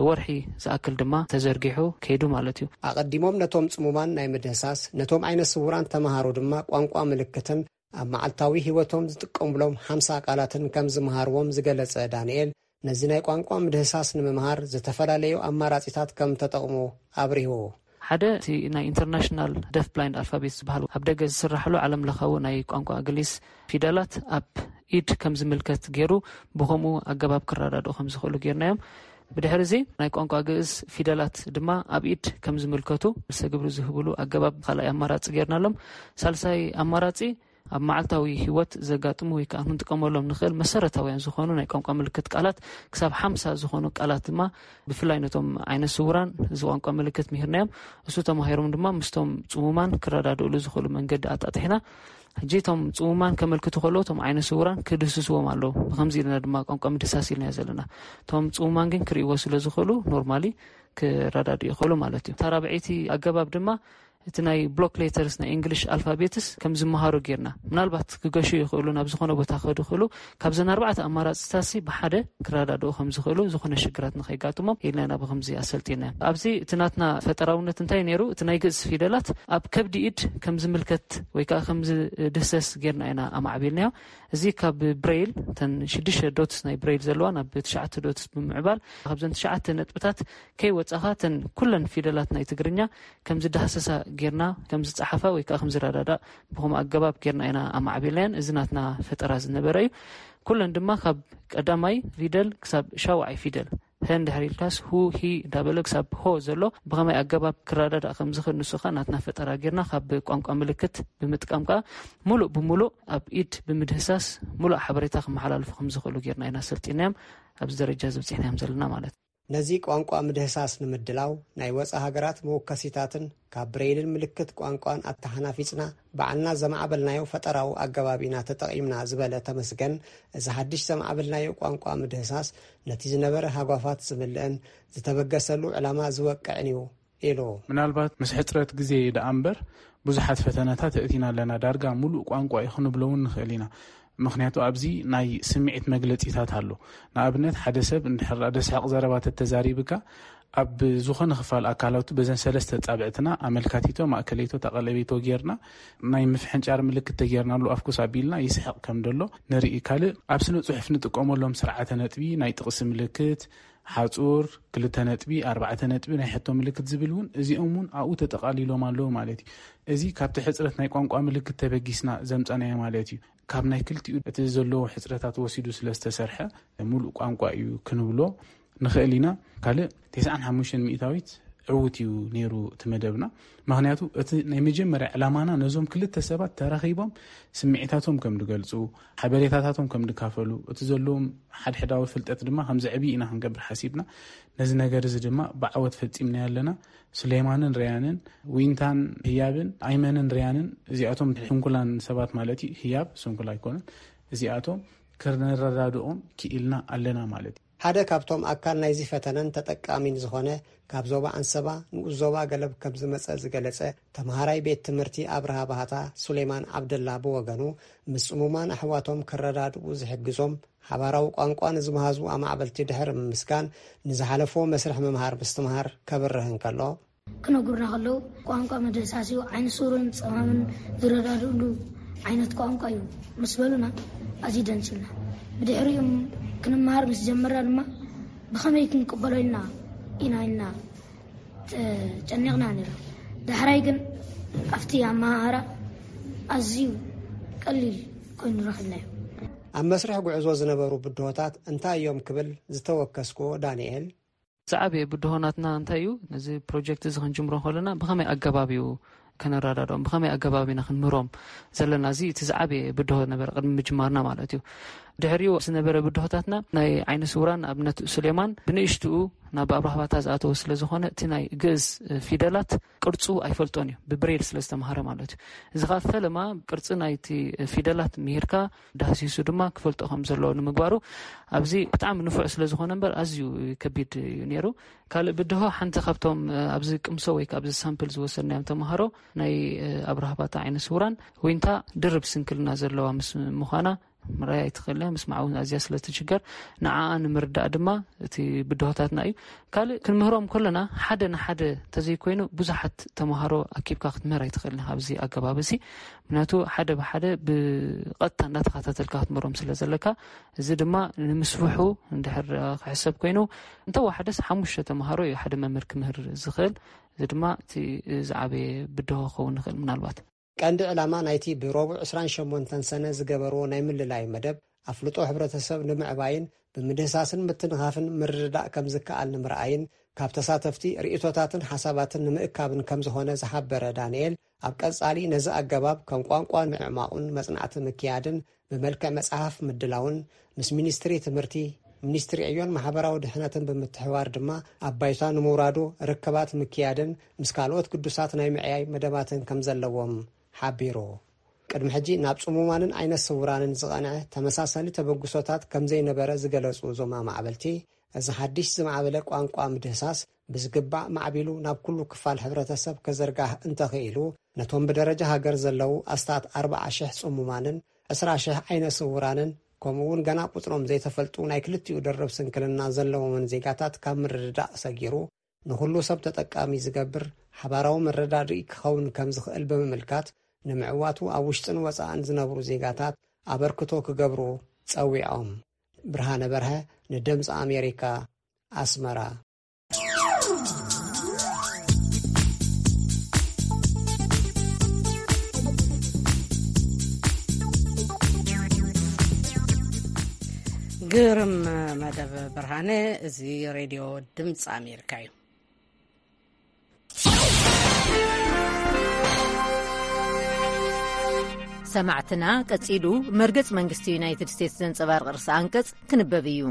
ወርሒ ዝኣክል ድማ ተዘርጊሑ ከይዱ ማለት እዩ። ኣቐዲሞም ነቶም ጽሙማን ናይ ምድህሳስ ነቶም ዓይነ ስውራን ተምሃሮ ድማ ቋንቋ ምልክትን ኣብ መዓልታዊ ህይወቶም ዝጥቀሙሎም ሓምሳ ቃላትን ከም ዝምሃርዎም ዝገለጸ ዳንኤል ነዚ ናይ ቋንቋ ምድህሳስ ንምምሃር ዝተፈላለዩ ኣማራጺታት ከም ተጠቕሙ ኣብሪሁ። ሓደ እቲ ናይ ኢንተርናሽናል ደፍ ብላይንድ ኣልፋቤት ዝበሃል ኣብ ደገ ዝስራሕሉ ዓለም ለኻዊ ናይ ቋንቋ ግሊስ ፊደላት ኣብ ኢድ ከም ዝምልከት ገይሩ ብኸምኡ ኣገባብ ክረዳድኡ ከም ዝኽእሉ ጌርናዮም። ብድሕሪ እዚ ናይ ቋንቋ ግእዝ ፊደላት ድማ ኣብ ኢድ ከም ዝምልከቱ ርእሰ ግብሪ ዝህብሉ ኣገባብ ካልኣይ ኣማራፂ ጌርናሎም። ሳልሳይ ኣማራፂ ኣብ መዓልታዊ ህይወት ዘጋጥሙ ወይ ከዓ ክንጥቀመሎም ንኽእል መሰረታውያን ዝኾኑ ናይ ቋንቋ ምልክት ቃላት ክሳብ ሓምሳ ዝኾኑ ቃላት ድማ ብፍላይ ነቶም ዓይነት ስውራን እዚ ቋንቋ ምልክት ምሂርናዮም። እሱ ተማሂሮም ድማ ምስቶም ፅሙማን ክረዳድእሉ ዝኽእሉ መንገዲ ኣጣጢሕና። ሕጂ እቶም ፅሙማን ከመልክቱ ከለዉ እቶም ዓይነት ስውራን ክድህስስዎም ኣለዉ። ብከምዚ ኢልና ድማ ቋንቋ ምድህሳስ ኢልናዮ ዘለና። እቶም ፅሙማን ግን ክርእይዎ ስለ ዝኽእሉ ኖርማሊ ክረዳድኡ ይኽእሉ ማለት እዩ። እታ ራብዐይቲ ኣገባብ ድማ እቲ ናይ ብሎክ ሌተርስ ናይ እንግሊሽ ኣልፋቤትስ ከም ዝመሃሩ ጌርና ምናልባት ክገሹ ይኽእሉ ናብ ዝኾነ ቦታ ክኸዱ ይኽእሉ። ካብዘን ኣርባዕተ ኣማራፅታሲ ብሓደ ክረዳድኡ ከም ዝኽእሉ ዝኾነ ሽግራት ንኸይጋጥሞም ኢልና ኢና ብከምዚ ኣሰልጢና። ኣብዚ እቲ ናትና ፈጠራውነት እንታይ ነይሩ? እቲ ናይ ግእዝ ፊደላት ኣብ ከብዲ ኢድ ከም ዝምልከት ወይ ከዓ ከም ዝድህሰስ ጌርና ኢና ኣማዕቢልናዮ። እዚ ካብ ብሬይል እተን ሽዱሽተ ዶትስ ናይ ብሬይል ዘለዋ ናብ ትሽዓተ ዶትስ ብምዕባል ካብዘን ትሽዓተ ነጥብታት ከይወፃኻ እተን ኩለን ፊደላት ናይ ትግርኛ ከም ዝዳህሰሳ ጌርና ከም ዝፀሓፋ ወይ ከዓ ከም ዝረዳዳእ ብኸምኡ ኣገባብ ጌርና ኢና ኣማዕቢልናየን። እዚ ናትና ፈጠራ ዝነበረ እዩ። ኩለን ድማ ካብ ቀዳማይ ፊደል ክሳብ ሻውዓይ ፊደል ሀ እንድሕር ኢልካስ ሁ፣ ሂ እንዳበለ ክሳብ ሆ ዘሎ ብኸመይ ኣገባብ ክረዳዳእ ከም ዝኽእል ንሱ ኸኣ ናትና ፈጠራ ጌርና ካብ ቋንቋ ምልክት ብምጥቃም ከኣ ሙሉእ ብሙሉእ ኣብ ኢድ ብምድህሳስ ሙሉእ ሓበሬታ ክመሓላልፉ ከም ዝኽእሉ ጌርና ኢና ሰልጢናዮም። ኣብዚ ደረጃ እዚ በጺሕናዮም ዘለና ማለት እዩ። ነዚ ቋንቋ ምድህሳስ ንምድላው ናይ ወጻኢ ሃገራት መወከሲታትን ካብ ብሬይልን ምልክት ቋንቋን ኣተሓናፊጽና ባዕልና ዘማዕበልናዮ ፈጠራዊ ኣገባብ ኢና ተጠቒምና ዝበለ ተመስገን፣ እዚ ሓድሽ ዘማዕበልናዮ ቋንቋ ምድህሳስ ነቲ ዝነበረ ሃጓፋት ዝምልእን ዝተበገሰሉ ዕላማ ዝወቅዕን እዩ ኢሉ። ምናልባት ምስ ሕጽረት ግዜ ደኣ እምበር ብዙሓት ፈተነታት ኣእቲና ኣለና። ዳርጋ ሙሉእ ቋንቋ እዩ ክንብሎ እውን ንኽእል ኢና። ምኽንያቱ ኣብዚ ናይ ስምዒት መግለጺታት ኣሎ። ንኣብነት ሓደ ሰብ እንድሕር ደስሕቕ ዘረባ ተተዛሪብካ ኣብ ዝኾነ ክፋል ኣካላቱ በዘን ሰለስተ ጻብዕትና ኣመልካቲቶ፣ ማእከለይቶ፣ ተቐለቤቶ ጌርና ናይ ምፍሕንጫር ምልክት ተጌርናሉ ኣፍኩስ ኣቢልና ይስሕቕ ከም ደሎ ንርኢ። ካልእ ኣብ ስነ ጽሑፍ ንጥቀመሎም ስርዓተ ነጥቢ፣ ናይ ጥቕሲ ምልክት፣ ሓጹር፣ ክልተ ነጥቢ፣ ኣርባዕተ ነጥቢ፣ ናይ ሕቶ ምልክት ዝብል እውን እዚኦም እውን ኣብኡ ተጠቓሊሎም ኣለዉ ማለት እዩ። እዚ ካብቲ ሕጽረት ናይ ቋንቋ ምልክት ተበጊስና ዘምጻናዮ ማለት እዩ። ካብ ናይ ክልቲኡ እቲ ዘለዎ ሕጽረታት ወሲዱ ስለ ዝተሰርሐ ሙሉእ ቋንቋ እዩ ክንብሎ ንኽእል ኢና። ካልእ ተስዓን ሓሙሽተን ሚእታዊት ዕዉት እዩ ነይሩ እቲ መደብና። ምኽንያቱ እቲ ናይ መጀመርያ ዕላማና ነዞም ክልተ ሰባት ተራኺቦም ስምዒታቶም ከም ዝገልጹ፣ ሓበሬታታቶም ከም ዝካፈሉ፣ እቲ ዘለዎም ሓድሕዳዊ ፍልጠት ድማ ከም ዘዕብዩ ኢና ክንገብር ሓሲብና። ነዚ ነገር እዚ ድማ ብዓወት ፈጺምናዮ ኣለና። ሱሌማንን ርያንን፣ ዊንታን ህያብን፣ ኣይመንን ርያንን፣ እዚኣቶም ስንኩላን ሰባት ማለት እዩ። ህያብ ስንኩል ኣይኮነን። እዚኣቶም ክንረዳድኦም ክኢልና ኣለና ማለት እዩ። ሓደ ካብቶም ኣካል ናይዚ ፈተነን ተጠቃሚን ዝኾነ ካብ ዞባ ኣንሰባ ንኡስ ዞባ ገለብ ከም ዝመጸ ዝገለጸ ተምሃራይ ቤት ትምህርቲ ኣብርሃ ባህታ ሱሌማን ዓብደላ ብወገኑ ምስ ጽሙማን ኣሕዋቶም ክረዳድኡ ዝሕግዞም ሓባራዊ ቋንቋ ንዝመሃዙ ኣማዕበልቲ ድሕሪ ምምስጋን ንዝሓለፎ መስርሕ ምምሃር ምስትምሃር ከብርህ እንከሎ፣ ክነግሩና ከለዉ ቋንቋ መደሳሲኡ ዓይነ ስውርን ጸማምን ዝረዳድእሉ ዓይነት ቋንቋ እዩ ምስ በሉና ኣዝዩ ደንሲልና። ብድሕሪኡ ክንመሃር ምስ ጀመርና ድማ ብኸመይ ክንቅበሎ ኢልና ኢና ኢልና ተጨኒቕና ነይሩ። ዳሕራይ ግን ኣብቲ ኣመሃህራ ኣዝዩ ቀሊል ኮይኑ ረኺብናዮ። ኣብ መስርሕ ጉዕዞ ዝነበሩ ብድሆታት እንታይ እዮም ክብል ዝተወከስኩዎ ዳንኤል፣ ዝዓበየ ብድሆ ናትና እንታይ እዩ? ነዚ ፕሮጀክት እዚ ክንጅምሮ ከለና ብኸመይ ኣገባብ እዩ ከነረዳድኦም፣ ብኸመይ ኣገባብ ኢና ክንምህሮም ዘለና? እዚ እቲ ዝዓበየ ብድሆ ነበረ ቅድሚ ምጅማርና ማለት እዩ። ድሕሪኡ ዝነበረ ብድሆታትና ናይ ዓይነ ስውራን ኣብነት ሱሌማን ብንእሽትኡ ናብ ኣብራህባታ ዝኣተወ ስለ ዝኾነ እቲ ናይ ግእዝ ፊደላት ቅርጹ ኣይፈልጦን እዩ፣ ብብሬል ስለ ዝተምሃረ ማለት እዩ። እዚ ኸኣ ፈለማ ቅርጺ ናይቲ ፊደላት ምሂርካ ዳህሲሱ ድማ ክፈልጦ ከም ዘለዎ ንምግባሩ ኣብዚ ብጣዕሚ ንፉዕ ስለ ዝኾነ እምበር ኣዝዩ ከቢድ እዩ ነይሩ። ካልእ ብድሆ ሓንቲ ካብቶም ኣብዚ ቅምሶ ወይ ካብ ሳምፕል ዝወሰድናዮም ተምሃሮ ናይ ኣብራህባታ ዓይነ ስውራን ዊንታ ድርብ ስንክልና ዘለዋ ምስ ምዃና ምርኣይ ኣይትኽእልን እያ። ምስማዕ እውን ኣዝያ ስለ ትችገር ንዓኣ ንምርዳእ ድማ እቲ ብድሆታትና እዩ። ካልእ ክንምህሮም ከለና ሓደ ንሓደ ተዘይኮይኑ ብዙሓት ተምሃሮ ኣኪብካ ክትምህር ኣይትኽእልን ኢኻ ኣብዚ ኣገባብ እዚ። ምክንያቱ ሓደ ብሓደ ብቐጥታ እንዳተኸታተልካ ክትምህሮም ስለ ዘለካ፣ እዚ ድማ ንምስፍሑ እንድሕር ክሕሰብ ኮይኑ እንተወሓደስ ሓሙሽተ ተምሃሮ እዩ ሓደ መምህር ክምህር ዝኽእል። እዚ ድማ እቲ ዝዓበየ ብድሆ ክኸውን ይኽእል ምናልባት። ቀንዲ ዕላማ ናይቲ ብረቡዕ ዕስራን ሸሞንተን ሰነ ዝገበርዎ ናይ ምልላይ መደብ ኣፍልጦ ሕብረተሰብ ንምዕባይን ብምድህሳስን ምትንኻፍን ምርድዳእ ከም ዝከኣል ንምርኣይን ካብ ተሳተፍቲ ርእይቶታትን ሓሳባትን ንምእካብን ከም ዝኾነ ዝሓበረ ዳንኤል፣ ኣብ ቀጻሊ ነዚ ኣገባብ ከም ቋንቋ ንምዕማቑን መጽናዕቲ ምክያድን ብመልክዕ መጽሓፍ ምድላውን ምስ ሚኒስትሪ ትምህርቲ፣ ሚኒስትሪ ዕዮን ማሕበራዊ ድሕነትን ብምትሕብባር ድማ ኣብ ባይታ ንምውራዱ ርክባት ምክያድን ምስ ካልኦት ግዱሳት ናይ ምዕያይ መደባትን ከም ዘለዎም ሓቢሩ። ቅድሚ ሕጂ ናብ ጽሙማንን ዓይነ ስውራንን ዝቐንዐ ተመሳሳሊ ተበግሶታት ከም ዘይነበረ ዝገለጹ እዞም ኣማዕበልቲ፣ እዚ ሓድሽ ዝማዕበለ ቋንቋ ምድህሳስ ብዝግባእ ማዕቢሉ ናብ ኩሉ ክፋል ሕብረተሰብ ከዘርጋህ እንተኽኢሉ፣ ነቶም ብደረጃ ሃገር ዘለዉ ኣስታት ኣርብዓ ሽሕ ጽሙማንን ዕስራ ሽሕ ዓይነ ስውራንን ከምኡ እውን ገና ቁጽሮም ዘይተፈልጡ ናይ ክልቲኡ ደርብ ስንክልና ዘለዎምን ዜጋታት ካብ ምርድዳእ ሰጊሩ ንኹሉ ሰብ ተጠቃሚ ዝገብር ሓባራዊ መረዳድኢ ክኸውን ከም ዝኽእል ብምምልካት፣ ንምዕዋቱ ኣብ ውሽጥን ወጻእን ዝነብሩ ዜጋታት ኣበርክቶ ክገብሩ ጸዊዖም። ብርሃነ በርሀ ንድምጺ ኣሜሪካ፣ ኣስመራ። ግርም መደብ ብርሃነ። እዚ ሬድዮ ድምፂ ኣሜሪካ እዩ። ሰማዕትና፣ ቀጺሉ መርገጽ መንግስቲ ዩናይትድ ስቴትስ ዘንጸባርቕ ርእሰ ኣንቀጽ ክንበብ እዩ።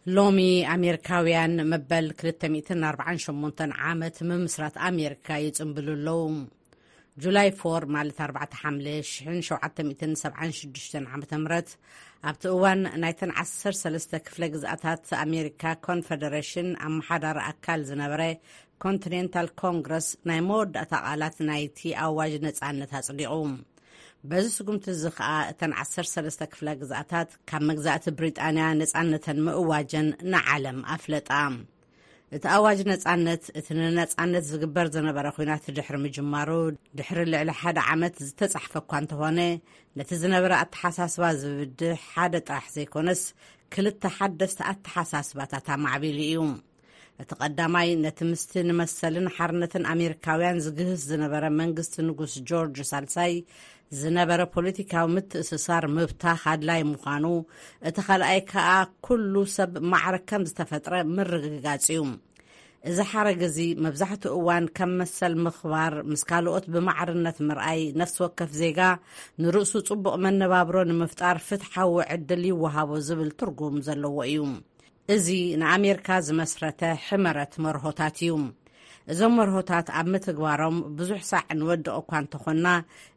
ሎሚ ኣሜሪካውያን መበል ክልተ ሚእትን ኣርባዓን ሸሞንተን ዓመት ምምስራት ኣሜሪካ ይጽንብሉ ኣለዉ። ጁላይ ፎር ማለት ኣርባዕተ ሓምለ ሽሕን ሸውዓተ ሚእትን ሰብዓን ሽዱሽተን ዓመተ ምህረት፣ ኣብቲ እዋን ናይተን ዓሰርተ ሰለስተ ክፍለ ግዝኣታት ኣሜሪካ ኮንፈደሬሽን ኣመሓዳሪ ኣካል ዝነበረ ኮንቲኔንታል ኮንግረስ ናይ መወዳእታ ቃላት ናይቲ ኣዋጅ ነጻነት ኣጽዲቑ። በዚ ስጉምቲ እዚ ኸኣ እተን ዓሰርተ ሰለስተ ክፍለ ግዝኣታት ካብ መግዛእቲ ብሪጣንያ ነጻነተን ምእዋጀን ንዓለም ኣፍለጣ። እቲ ኣዋጅ ነጻነት፣ እቲ ንነጻነት ዝግበር ዝነበረ ኲናት ድሕሪ ምጅማሩ፣ ድሕሪ ልዕሊ ሓደ ዓመት ዝተጻሕፈ እኳ እንተኾነ፣ ነቲ ዝነበረ ኣተሓሳስባ ዝብድህ ሓደ ጥራሕ ዘይኮነስ፣ ክልተ ሓደስቲ ኣተሓሳስባታት ኣማዕቢሉ እዩ። እቲ ቀዳማይ፣ ነቲ ምስቲ ንመሰልን ሓርነትን ኣሜሪካውያን ዝግህስ ዝነበረ መንግስቲ ንጉስ ጆርጅ ሳልሳይ ዝነበረ ፖለቲካዊ ምትእስሳር ምብታኽ ኣድላይ ምዃኑ፣ እቲ ካልኣይ ከኣ፣ ኩሉ ሰብ ማዕረ ከም ዝተፈጥረ ምርግጋጽ እዩ። እዚ ሓረግ እዚ መብዛሕትኡ እዋን ከም መሰል ምኽባር፣ ምስ ካልኦት ብማዕርነት ምርኣይ፣ ነፍሲ ወከፍ ዜጋ ንርእሱ ጽቡቕ መነባብሮ ንምፍጣር ፍትሓዊ ዕድል ይወሃቦ ዝብል ትርጉም ዘለዎ እዩ። እዚ ንኣሜሪካ ዝመስረተ ሕመረት መርሆታት እዩ። እዞም መርሆታት ኣብ ምትግባሮም ብዙሕ ሳዕ ንወድቕ እኳ እንተኾንና፣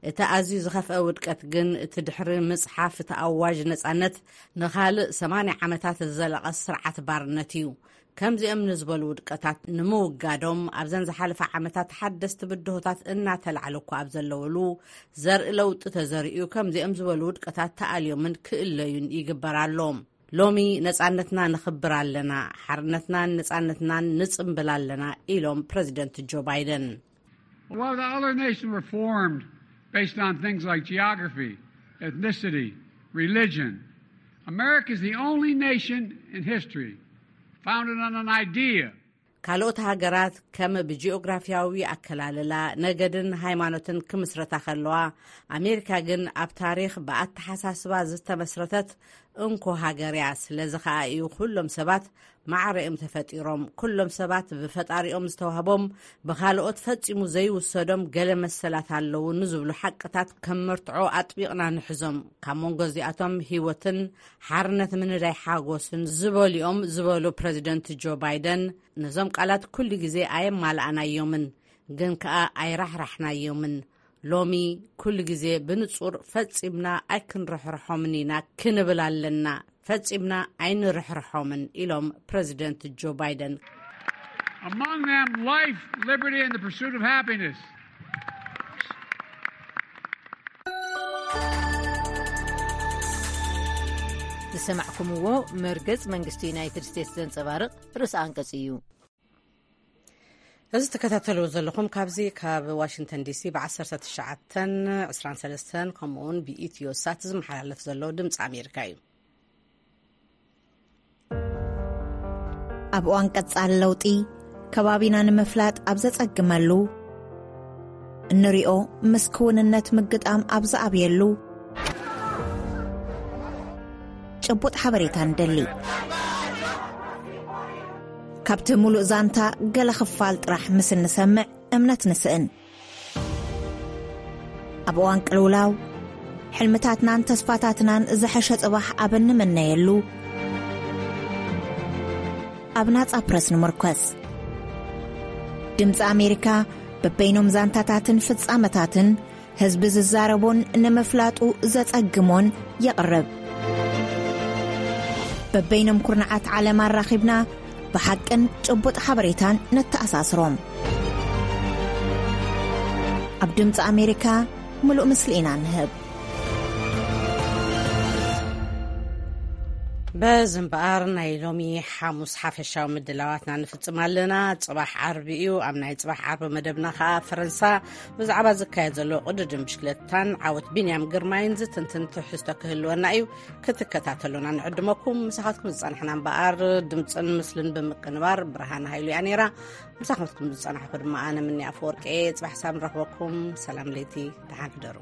እቲ ኣዝዩ ዝኸፍአ ውድቀት ግን እቲ ድሕሪ ምጽሓፍ እቲ ኣዋጅ ነጻነት ንኻልእ ሰማንያ ዓመታት ዝዘለቐ ስርዓት ባርነት እዩ። ከምዚኦም ንዝበሉ ውድቀታት ንምውጋዶም ኣብዘን ዝሓለፋ ዓመታት ሓደስቲ ብድሆታት እናተላዕለ እኳ ኣብ ዘለወሉ፣ ዘርኢ ለውጢ ተዘሪኡ፣ ከምዚኦም ዝበሉ ውድቀታት ተኣልዮምን ክእለዩን ይግበር ኣሎ። ሎሚ ነጻነትና ንኽብር ኣለና፣ ሓርነትናን ነጻነትናን ንጽምብል ኣለና ኢሎም ፕረዚደንት ጆ ባይደን። While the other nations were formed based on things like geography, ethnicity, religion, America is the only nation in history founded on an idea. ካልኦት ሃገራት ከም ብጂኦግራፊያዊ ኣከላልላ፣ ነገድን ሃይማኖትን ክምስረታ ከለዋ፣ ኣሜሪካ ግን ኣብ ታሪኽ ብኣተሓሳስባ ዝተመስረተት እንኮ ሃገር እያ። ስለዚ ኸኣ እዩ ኩሎም ሰባት ማዕረ እዮም ተፈጢሮም። ኩሎም ሰባት ብፈጣሪኦም ዝተዋህቦም፣ ብኻልኦት ፈጺሙ ዘይውሰዶም ገለ መሰላት ኣለዉ ንዝብሉ ሓቅታት ከም መርትዖ ኣጥቢቕና ንሕዞም። ካብ መንጎ እዚኣቶም ህይወትን ሓርነት ምንዳይ ሓጎስን ዝበሉ እዮም ዝበሉ ፕረዚደንት ጆ ባይደን፣ ነዞም ቃላት ኩሉ ግዜ ኣየማልኣናዮምን፣ ግን ከኣ ኣይራሕራሕናዮምን። ሎሚ ኩሉ ግዜ ብንጹር ፈጺምና ኣይክንርሕርሖምን ኢና ክንብል ኣለና። ፈጺምና ኣይንርሕርሖምን ኢሎም ፕረዚደንት ጆ ባይደን። Among them, life, liberty, and the pursuit of happiness. ዝሰማዕኩምዎ መርገጽ መንግስቲ ዩናይትድ ስቴትስ ዘንጸባርቕ ርእሰ ኣንቀጽ እዩ። እዚ ትከታተልዎ ዘለኹም ካብዚ ካብ ዋሽንግተን ዲሲ ብ ዓሰርተ ትሽዓተን ዕስራን ሰለስተን ከምኡውን ብኢትዮ ሳት ዝመሓላለፍ ዘሎ ድምፂ ኣሜሪካ እዩ። ኣብ እዋን ቀጻሊ ለውጢ ከባቢና ንምፍላጥ ኣብ ዘጸግመሉ፣ እንሪኦ ምስ ክውንነት ምግጣም ኣብ ዝኣብየሉ፣ ጭቡጥ ሓበሬታ ንደሊ። ካብቲ ሙሉእ ዛንታ ገለ ክፋል ጥራሕ ምስ እንሰምዕ እምነት ንስእን። ኣብ እዋን ቅልውላው፣ ሕልምታትናን ተስፋታትናን ዝሐሸ ጽባሕ ኣብ እንምነየሉ፣ ኣብ ናጻ ፕረስ ንምርኮስ። ድምጺ ኣሜሪካ በበይኖም ዛንታታትን ፍጻመታትን ህዝቢ ዝዛረቦን ንምፍላጡ ዘጸግሞን የቕርብ። በበይኖም ኩርናዓት ዓለም ኣራኺብና ብሓቅን ጭቡጥ ሓበሬታን ነተኣሳስሮም። ኣብ ድምጺ ኣሜሪካ ምሉእ ምስሊ ኢና ንህብ። በዚ እምበኣር ናይ ሎሚ ሓሙስ ሓፈሻዊ ምድላዋትና ንፍጽም ኣለና። ጽባሕ ዓርቢ እዩ። ኣብ ናይ ጽባሕ ዓርቢ መደብና ከኣ ፈረንሳ ብዛዕባ ዝካየድ ዘሎ ቅድድም ብሽክለታን ዓወት ቢንያም ግርማይን ዝትንትን ትሕዝቶ ክህልወና እዩ። ክትከታተሉና ንዕድመኩም። ምሳኻትኩም ዝጸናሕና እምበኣር ድምጽን ምስልን ብምቅንባር ብርሃን ሃይሉ እያ ነይራ። ምሳኻትኩም ዝጸናሕኩ ድማ ኣነ ምኒ ኣፈወርቂ እየ። ጽባሕ ሳም ንረኽበኩም። ሰላም ለይቲ፣ ደሓን ሕደሩ።